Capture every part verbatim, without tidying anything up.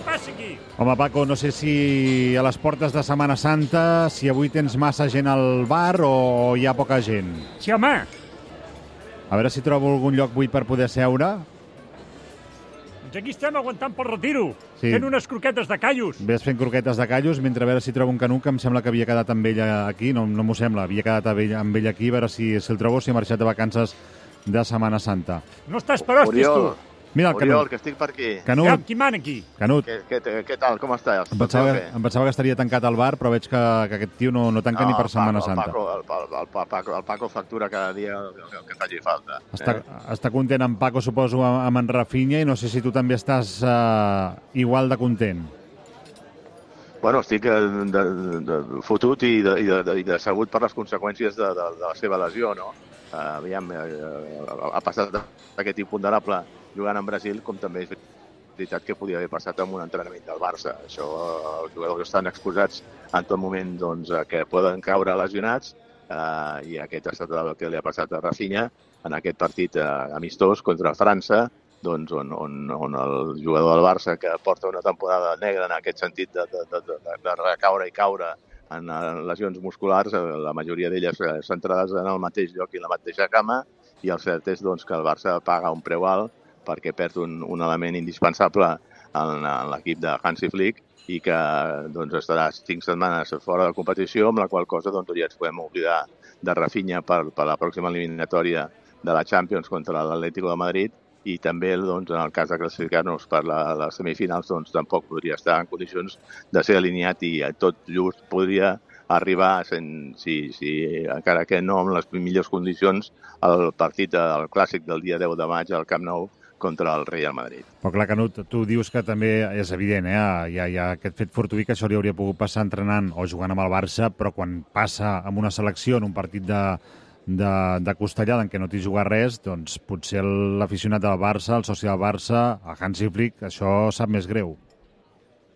passa aquí? Home, Paco, no sé si a les portes de Setmana Santa, si avui tens massa gent al bar o hi ha poca gent. Sí, home. A veure si trobo algun lloc buit per poder seure. Doncs aquí estem aguantant pel retiro, Sí. fent unes croquetes de callos. Ves fent croquetes de callos mentre a veure si trobo un Canut, que em sembla que havia quedat amb ella aquí. No, no m'ho sembla, havia quedat amb ell, amb ell aquí, a veure si, si el trobo, si ha marxat de vacances de Setmana Santa. No estàs per hòsties, tu. Mira el Oriol, Canut. que estic per aquí. Canut. Ja, qui mana aquí? Canut. Què, què, què tal, com estàs? Em pensava, que, em pensava que estaria tancat al bar, però veig que, que aquest tio no, no tanca no, ni per Setmana Paco, Santa. El Paco, el, el, el, Paco, el Paco factura cada dia el, el que faci falta. Està, eh? està content en Paco, suposo, amb en Rafinha, i no sé si tu també estàs uh, igual de content. Bueno, estic de, de, de fotut i, de, i, de, i decebut per les conseqüències de, de, de la seva lesió, no? Uh, aviam, uh, ha passat aquest imponderable jugant en Brasil, com també és veritat que podia haver passat amb un entrenament del Barça. Això, uh, els jugadors estan exposats en tot moment doncs, que poden caure lesionats, uh, i aquest ha estat el que li ha passat a Rafinha en aquest partit uh, amistós contra França, doncs, on, on, on el jugador del Barça, que porta una temporada negra en aquest sentit de, de, de, de, de recaure i caure en lesions musculars, la majoria d'elles centrades en el mateix lloc i la mateixa cama, i el cert és doncs, que el Barça paga un preu alt perquè perd un, un element indispensable en, en l'equip de Hansi Flick i que doncs, estarà cinc setmanes fora de competició, amb la qual cosa doncs, ja ens podem oblidar de Rafinha per, per la pròxima eliminatòria de la Champions contra l'Atlético de Madrid, i també doncs, en el cas de classificar-nos per la, les semifinals doncs, tampoc podria estar en condicions de ser alineat i tot just podria arribar, sent, si, si, encara que no en les millors condicions, al partit del clàssic del dia deu de maig al Camp Nou contra el Real Madrid. Però clar, Canut, tu dius que també és evident, eh? Hi ha, hi ha aquest fet fortuït que això li hauria pogut passar entrenant o jugant amb el Barça, però quan passa amb una selecció en un partit de, de, de costellada en què no t'hi juga res, doncs potser l'aficionat del Barça, el soci del Barça, el Hansi Flick, això sap més greu.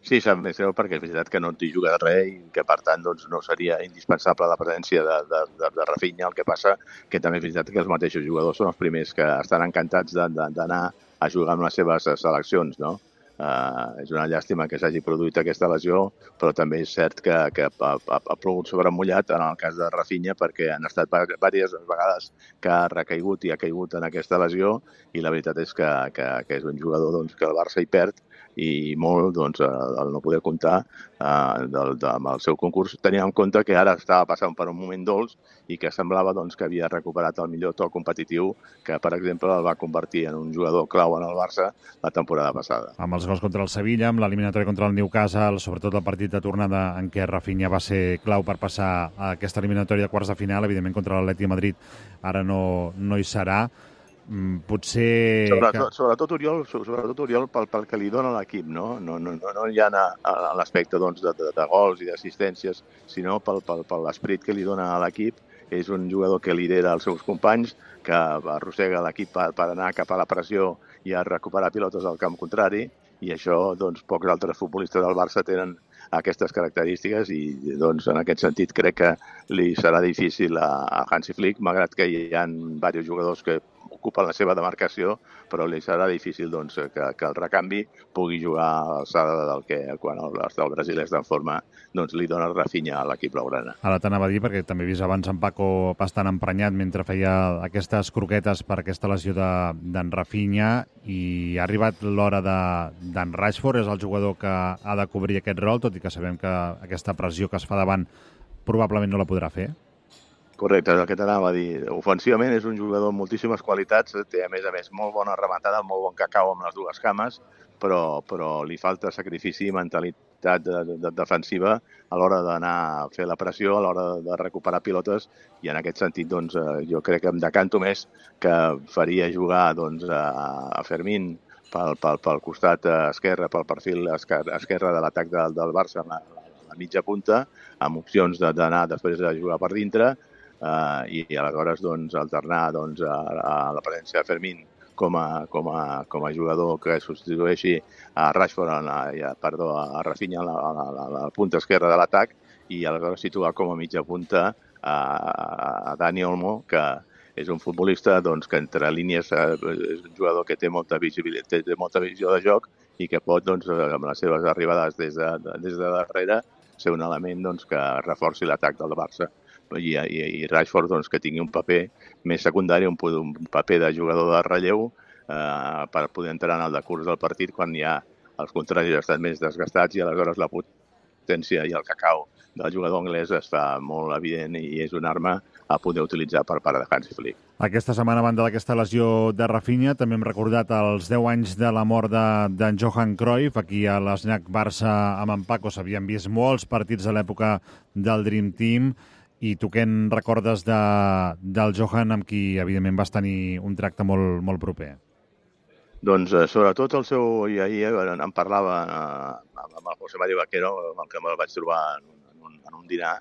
Sí, sap més greu perquè és veritat que no t'hi juga res i que, per tant, doncs, no seria indispensable la presència de, de, de, de Rafinha. El que passa que també és veritat que els mateixos jugadors són els primers que estan encantats d'anar a jugar amb les seves seleccions, no? Uh, és una llàstima que s'hagi produït aquesta lesió, però també és cert que, que ha, ha, ha plogut sobre mullat en el cas de Rafinha, perquè han estat diverses vegades que ha recaigut i ha caigut en aquesta lesió, i la veritat és que, que, que és un jugador doncs, que el Barça hi perd, i molt doncs, el no poder comptar eh, del, de, amb el seu concurs, tenint en compte que ara estava passant per un moment dolç i que semblava doncs, que havia recuperat el millor to competitiu que, per exemple, el va convertir en un jugador clau en el Barça la temporada passada. Amb els gols contra el Sevilla, amb l'eliminatòria contra el Newcastle, sobretot el partit de tornada en què Rafinha va ser clau per passar a aquesta eliminatòria de quarts de final, evidentment contra l'Atlètic de Madrid ara no, no hi serà. Potser... Sobretot, que... sobretot, Oriol, sobretot Oriol pel, pel que li dona l'equip, no? No, no, no, no hi ha a, a l'aspecte doncs, de, de, de gols i d'assistències, sinó pel, pel, per l'esperit que li dona a l'equip. És un jugador que lidera els seus companys, que arrossega l'equip per, per anar cap a la pressió i a recuperar pilotes al camp contrari, i això doncs, pocs altres futbolistes del Barça tenen aquestes característiques i doncs, en aquest sentit crec que li serà difícil a, a Hansi Flick, malgrat que hi ha diversos jugadors que ocupen la seva demarcació, però li serà difícil doncs, que, que el recanvi pugui jugar a l'alçada del que quan el, el Brasil és en forma doncs, li dona Rafinha a l'equip blaugrana. Ara t'anava a dir, perquè també he vist abans en Paco bastant emprenyat mentre feia aquestes croquetes per aquesta lesió d'en de, Rafinha, i ha arribat l'hora d'en de, Rashford, és el jugador que ha de cobrir aquest rol, tot i que sabem que aquesta pressió que es fa davant probablement no la podrà fer. Correcte, és el que t'anava a dir. Ofensivament és un jugador amb moltíssimes qualitats, té a més a més molt bona rematada, molt bon cacau amb les dues cames, però, però li falta sacrifici i mentalitat de, de, de defensiva a l'hora d'anar a fer la pressió, a l'hora de recuperar pilotes, i en aquest sentit doncs, jo crec que em decanto més que faria jugar doncs, a, a Fermín pel, pel, pel costat esquerre, pel perfil esquerre de l'atac del, del Barça a la, a la mitja punta, amb opcions d'anar després a jugar per dintre, Uh, i, i aleshores doncs, alternar doncs, a, a la presència de Fermín com a, com a, com a jugador que substitueixi a Rashford, a, a, perdó, a Rafinha a la, a la, a la punta esquerra de l'atac, i aleshores situar com a mitja punta a, a Dani Olmo, que és un futbolista doncs, que entre línies eh, és un jugador que té molta visibilitat, té molta visió de joc i que pot, doncs, amb les seves arribades des de, des de darrere, ser un element doncs, que reforci l'atac del Barça. I, i, i Rashford doncs, que tingui un paper més secundari, un, un paper de jugador de relleu eh, per poder entrar en el decurs del partit quan ja els contraris estan més desgastats i aleshores la potència i el cacau del jugador anglès es fa molt evident i és una arma a poder utilitzar per part de Hansi Flick. Aquesta setmana, a banda d'aquesta lesió de Rafinha, també hem recordat els deu anys de la mort d'en de, Johan Cruyff. Aquí a l'Snac Barça amb en Paco s'havien vist molts partits a l'època del Dream Team. I tu què en recordes de, del Johan, amb qui, evidentment, vas tenir un tracte molt, molt proper? Doncs, eh, sobretot, el seu... I ahir eh, em parlava eh, amb el José Mario Vaquero, amb el que me'l vaig trobar en un, en un dinar,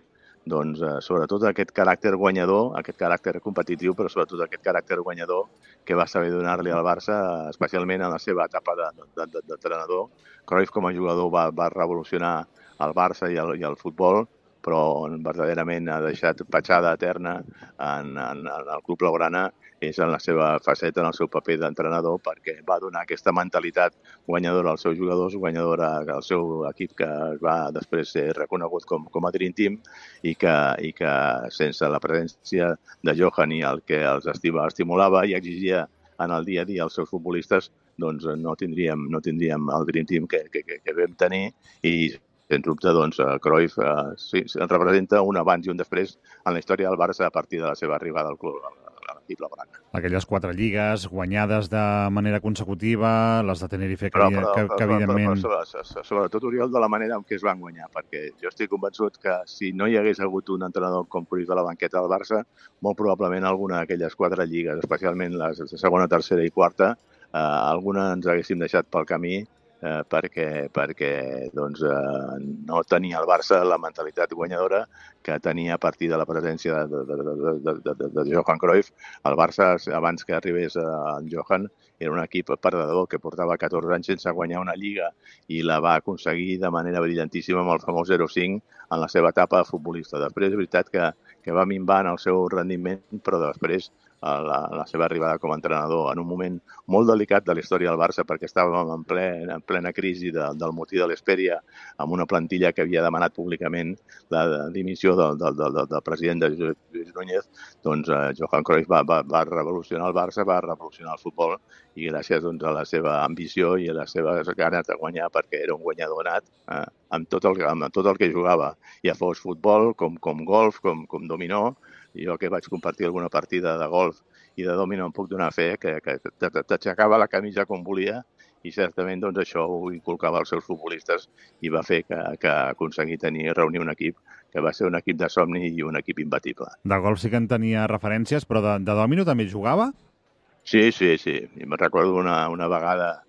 doncs, eh, sobretot aquest caràcter guanyador, aquest caràcter competitiu, però sobretot aquest caràcter guanyador que va saber donar-li al Barça, especialment en la seva etapa d'entrenador. Cruyff, com a jugador, va, va revolucionar el Barça i el, i el futbol, però verdaderament ha deixat petjada eterna en, en, en el club blaugrana és en la seva faceta, en el seu paper d'entrenador, perquè va donar aquesta mentalitat guanyadora als seus jugadors, guanyadora al seu equip que va després ser reconegut com, com a Dream Team i que, i que sense la presència de Johan i el que els estima, estimulava i exigia en el dia a dia als seus futbolistes, doncs no tindríem, no tindríem el Dream Team que, que, que, que vam tenir i sens dubte, doncs, Cruyff eh, sí, representa un abans i un després en la història del Barça a partir de la seva arribada al club, a l'equip blaugrana. Aquelles quatre lligues guanyades de manera consecutiva, les de Tenerife, que, però, però, que, que evidentment... Però, però, però, sobretot, Oriol, de la manera en què es van guanyar, perquè jo estic convençut que si no hi hagués hagut un entrenador com Cruyff a la banqueta del Barça, molt probablement alguna d'aquelles quatre lligues, especialment les de segona, tercera i quarta, eh, alguna ens haguéssim deixat pel camí, Eh, perquè, perquè doncs, eh, no tenia el Barça la mentalitat guanyadora que tenia a partir de la presència de, de, de, de, de, de, de Johan Cruyff. El Barça, abans que arribés en Johan, era un equip perdedor que portava catorze anys sense guanyar una lliga i la va aconseguir de manera brillantíssima amb el famós zero cinc en la seva etapa de futbolista. Després, és veritat que, que va minvar en el seu rendiment, però després La, la seva arribada com a entrenador en un moment molt delicat de la història del Barça perquè estàvem en, ple, en plena crisi de, del motí de l'Hesperia amb una plantilla que havia demanat públicament la dimissió del, del, del, del president de Lluís Núñez, doncs eh, Johan Cruyff va, va, va revolucionar el Barça, va revolucionar el futbol i gràcies doncs, a la seva ambició i a les seves ganes de guanyar perquè era un guanyador nat eh, amb, tot el, amb tot el que jugava, ja fos futbol, com, com golf, com, com dominó. Jo que vaig compartir alguna partida de golf i de domino em puc donar fe que, que t'aixecava la camisa com volia i certament doncs, això ho inculcava als seus futbolistes i va fer que, que aconseguir tenir, reunir un equip que va ser un equip de somni i un equip imbatible. De golf sí que en tenia referències, però de, de domino també jugava? Sí, sí, sí. I me'n recordo una, una vegada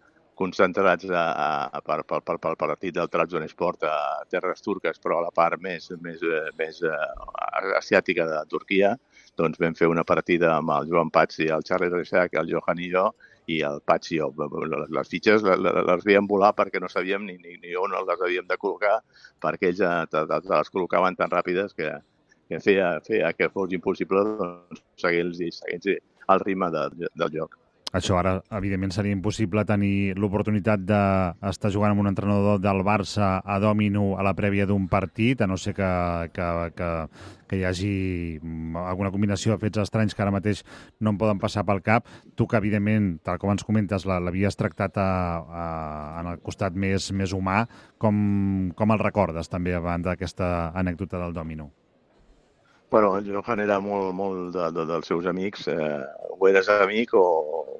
concentrats a, a, per, per, per, per partit del Trabzonspor a terres turques, però a la part més, més, més uh, asiàtica de Turquia, doncs vam fer una partida amb el Joan Pats i el Charlie Reixac, el Johan i jo, i el Pats i jo. Les fitxes les veiem volar perquè no sabíem ni, ni, ni on les havíem de col·locar, perquè ells te, te, te les col·locaven tan ràpides que, que feia, feia que fos impossible doncs, seguir-los el ritme de, del joc. Això ara, evidentment, seria impossible tenir l'oportunitat d'estar jugant amb un entrenador del Barça a dòmino a la prèvia d'un partit, a no ser que, que, que, que hi hagi alguna combinació de fets estranys que ara mateix no em poden passar pel cap. Tu que, evidentment, tal com ens comentes, l'havies tractat a, a, en el costat més, més humà, com, com el recordes també abans d'aquesta anècdota del dòmino? Bueno, el Johan era molt, molt de, de, dels seus amics. Eh, o eres amic o,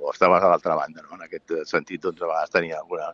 o estaves a l'altra banda, no? En aquest sentit, doncs, a vegades tenia alguna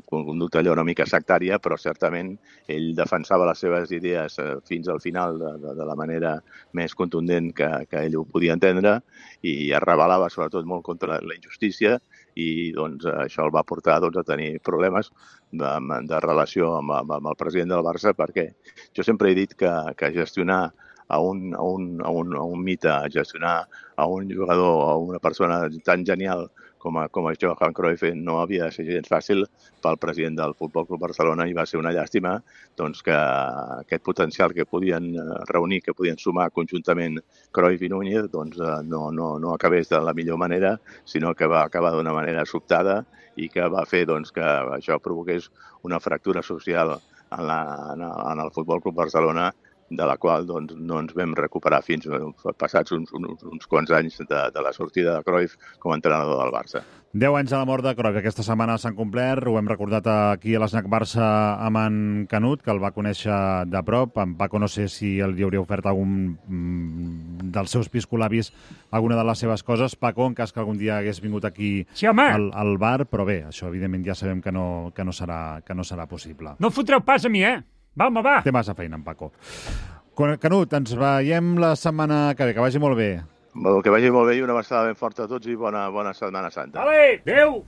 conducta allò una mica sectària, però certament ell defensava les seves idees eh, fins al final de, de, de la manera més contundent que, que ell ho podia entendre i es rebel·lava sobretot molt contra la injustícia i doncs, això el va portar doncs, a tenir problemes de, de relació amb, amb el president del Barça perquè jo sempre he dit que, que gestionar a un, a un, a un, a un mite, a gestionar a un jugador, a una persona tan genial com a, com a Johan Cruyff, no havia de ser gens fàcil pel president del Futbol Club Barcelona i va ser una llàstima doncs, que aquest potencial que podien reunir, que podien sumar conjuntament Cruyff i Núñez, doncs, no, no, no acabés de la millor manera, sinó que va acabar d'una manera sobtada i que va fer doncs, que això provoqués una fractura social en, la, en el Futbol Club Barcelona, de la qual doncs, no ens vam recuperar fins passats uns, uns, uns quants anys de, de la sortida de Cruyff com a entrenador del Barça. Deu anys de la mort de Cruyff. Aquesta setmana s'han complert. Ho hem recordat aquí a l'Snac Barça amb en Canut, que el va conèixer de prop. En Paco no sé si li hauria ofert algun dels seus piscolabis alguna de les seves coses. Paco, en cas que algun dia hagués vingut aquí sí, al, al bar, però bé, això evidentment ja sabem que no, que no, serà, que no serà possible. No fotreu pas a mi, eh? Va, home, va. Té massa feina, en Paco. Canut, ens veiem la setmana que ve. Que vagi molt bé. Que vagi molt bé i una abraçada ben forta a tots i bona, bona Setmana Santa. Vale, adéu!